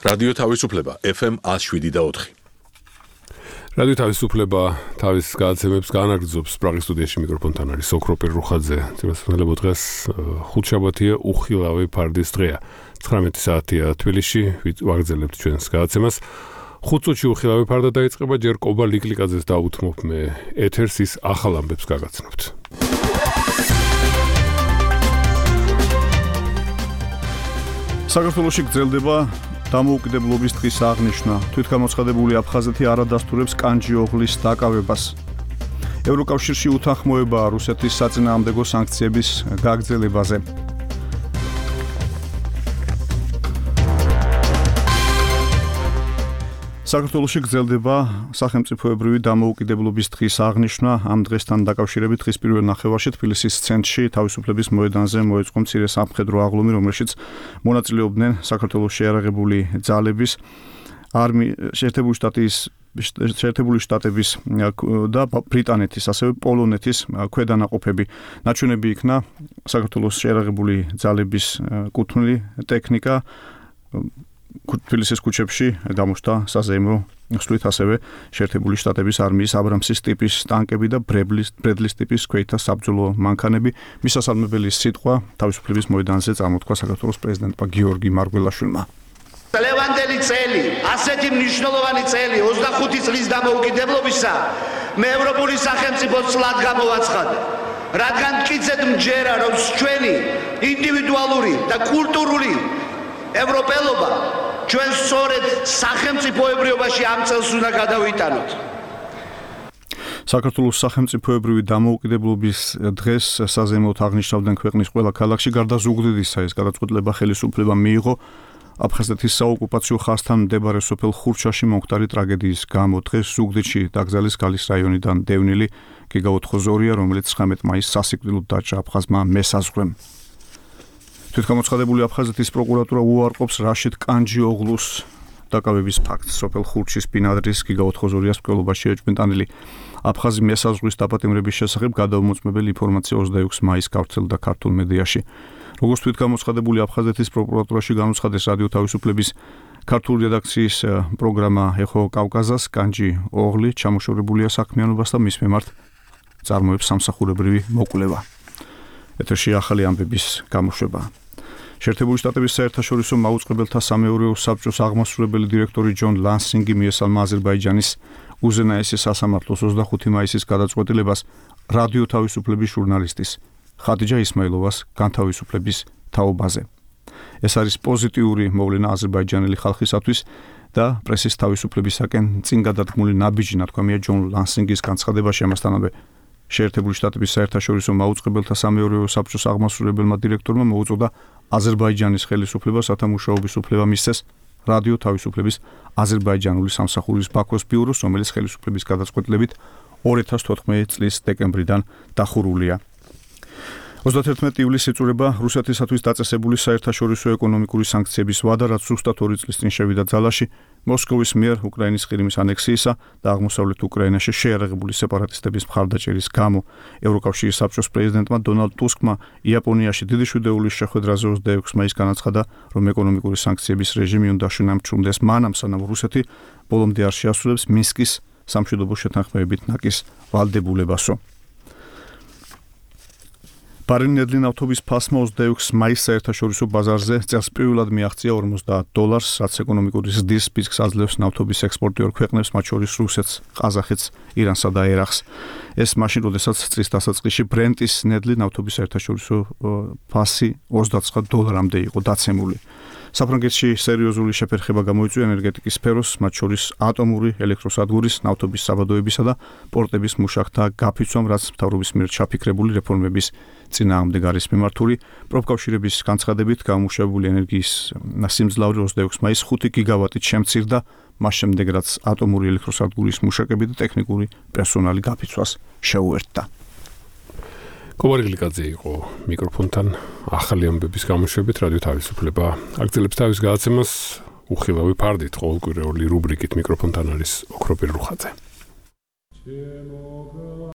რადიო თავისუფლება FM 107.4. რადიო თავისუფლება თავის გადაცემებს განაგრძობს პრაღის სტუდიაში მიკროფონთან არის ოქროპირ რუხაძე. ძირითადად დღეს ხუთშაბათია, უხილავი ფარდის დღეა. 19 საათია თბილისში, ვაგრძელებთ ჩვენს გადაცემას. 5 წუთში უხილავი ფარდა დაიწყება, ჯერ კობა ლიკლიკაძეს დაუთმობ მე ეთერს, ის ახალ ამბებს გაგაცნობთ. საქართველოში გრძელდება დამოუკიდებლობის დღის აღნიშვნა. თვითგამოცხადებული აფხაზეთი არ ადასტურებს კანჯიოღლის დაკავებას. ევროკავშირში უთანხმოებაა რუსეთის საწინააღმდეგო სანქციების გაგრძელებაზე. საქართველოში გრძელდება სახელმწიფოებრივი დამოუკიდებლობის დღის აღნიშვნა. ამ დღესთან დაკავშირებით დღის პირველ ნახევარში თბილისის ცენტრში თავისუფლების მოედანზე მოეწყო მცირე სამხედრო აღლუმი, რომელშიც მონაწილეობდნენ საქართველოს შეიარაღებული ძალების, შეერთებული შტატების და ბრიტანეთის, ასევე პოლონეთის ქვედანაყოფები. ნაჩვენები იქნა საქართველოს შეიარაღებული ძალების კუთვნილი ტექნიკა. თბილისის ქუჩებში გამოჩნდა საზეიმო სვლით, ასევე შეერთებული შტატების არმიის აბრამსის ტიპის ტანკები და ბრედლის ტიპის ქვეითთა საბრძოლო მანქანები. მისასალმებელი სიტყვა თავისუფლების მოედანზე წარმოთქვა საქართველოს პრეზიდენტმა გიორგი მარგველაშვილმა. ლევანდელი წელი, ასეთი მნიშვნელოვანი წელი 25 წლის დამოუკიდებლობისა მე ევროპული სახელმწიფოს წლად გამოვაცხადე. რადგან მტკიცედ მჯერა, რომ ჩვენი ინდივიდუალური და კულტურული ევროპელობა ჩვენ სწორედ სახელმწიფოებრიობაში ამ წელს უნდა გადავიტანოთ. საქართველოს სახელმწიფოებრივი დამოუკიდებლობის დღეს საზეიმოდ აღნიშნავდნენ ქვეყნის ყველა ქალაქში. გარდა ზუგდიდისა, ეს გადაწყვეტილება ხელისუფლება მიიღო აფხაზეთის საოკუპაციო ხაზთან მდებარე სოფელ ხურჩაში მომხდარი ტრაგედიის გამო. დღეს ზუგდიდში დაკრძალეს გალის რაიონიდან დევნილი გიგაუთ ხოზორია, რომელიც 19 მაისს სასიკვდილოდ დაჭრა აფხაზმა მესაზღვრემ. თვითგამოცხადებული აფხაზეთის პროკურატურა უარყოფს რაშიდ კანჯიოღლუს დაკავების ფაქტს. სოფელ ხურჩის ბინადრის გიგაუთ ხოზორიას მკვლელობაში ეჭვმიტანილი აფხაზი მესაზღვრის დაპატიმრების შესახებ გადაუმოწმებელი ინფორმაცია 26 მაისს გავრცელდა ქართულ მედიაში. როგორც თვითგამოცხადებული აფხაზეთის პროკურატურაში განუცხადეს რადიო თავისუფლების ქართული რედაქციის პროგრამა ეხო კავკაზას, კანჯიოღლი ჩამოშორებულია საქმიანობას და მის მიმართ წარმოებს სამსახურებრივი მოკვლევა. ეთერში ახალი ამბების გამოშვება. შეერთებული შტატების საერთაშორისო მაუწყებელთა სამეურვეო საბჭოს აღმასრულებელი დირექტორი ჯონ ლანსინგი მიესალმა აზერბაიჯანის უზენაესი სასამართლოს 25 მაისის გადაწყვეტილებას რადიო თავისუფლების ჟურნალისტის ხადიჯა ისმაილოვას განთავისუფლების თაობაზე. ეს არის პოზიტიური მოვლენა აზერბაიჯანელი ხალხისათვის და პრესის თავისუფლებისაკენ წინ გადადგმული ნაბიჯი, ნათქვამია ჯონ ლანსინგის განცხადებაში. ამასთანავე შეერთებული შტატების საერთაშორისო მაუწყებელთა სამეურვეო საბჭოს აღმასრულებელმა დირექტორმა მოუწოდა აზერბაიჯანის ხელისუფლებას, რათა მუშაობის უფლება მისცეს რადიო თავისუფლების აზერბაიჯანული სამსახურის ბაქოს ბიუროს, რომელიც ხელისუფლების გადაწყვეტილებით 2014 წლის დეკემბრიდან დახურულია. 31 ივლისს იწურება რუსეთისათვის დაწესებული საერთაშორისო ეკონომიკური სანქციების ვადა, რაც ზუსტად 2 წლის წინ შევიდა ძალაში მოსკოვის მიერ უკრაინის ყირიმის ანექსიისა და აღმოსავლეთ უკრაინაში შეიარაღებული სეპარატისტების მხარდაჭერის გამო. ევროკავშირის საბჭოს პრეზიდენტმა დონალდ ტუსკმა იაპონიაში დიდი შვიდეულის შეხვედრაზე 26 მაისს განაცხადა, რომ ეკონომიკური სანქციების რეჟიმი უნდა შენამჩუნდეს მანამ, სანამ რუსეთი ბოლომდე არ შეასრულებს მინსკის სამშვიდობო შეთანხმებებით ნაკის ვალდებულებასო. ბარენედლი ნავთობის ფასმა 26 მაისს საერთაშორისო ბაზარზე წელს პირველად მიაღწია $50, რაც ეკონომიკური ზრდის პიკს აძლევს ნავთობის ექსპორტიორ ქვეყნებს, მათ შორის რუსეთს, ყაზახეთს, ირანსა და ერაყს. ეს მაშინ, როდესაც წლის დასაწყისში ბრენტის ნედლი ნავთობის საერთაშორისო ფასი $29-მდე იყო დაცემული. საფრანგეთში სერიოზული შეფერხება გამოიწვია ენერგეტიკის სფეროს, მათ შორის ატომური ელექტროსადგურის, ნავთობის საბადოებისა და პორტების მუშაკთა გაფიცვამ, რაც მთავრობის მიერ ჩაფიქრებული რეფორმების წინააღმდეგ არის მიმართული. პროფკავშირების განცხადებით, გამომუშავებული ენერგიის სიმძლავრე 26 მაისს 5 გიგავატით შემცირდა, მას შემდეგ რაც ატომური ელექტროსადგურის მუშაკები და ტექნიკური პერსონალი გაფიცვას შეუერთდა. კობარგლიკაძე იყო მიკროფონთან ახალი ამბების გამოშვებით. რადიო თავისუფლება აგრძელებს თავის გადაცემას უხილავი ფარდით, ყოველკვირეული რუბრიკით. მიკროფონთან არის ოქროპირ რუხაძე.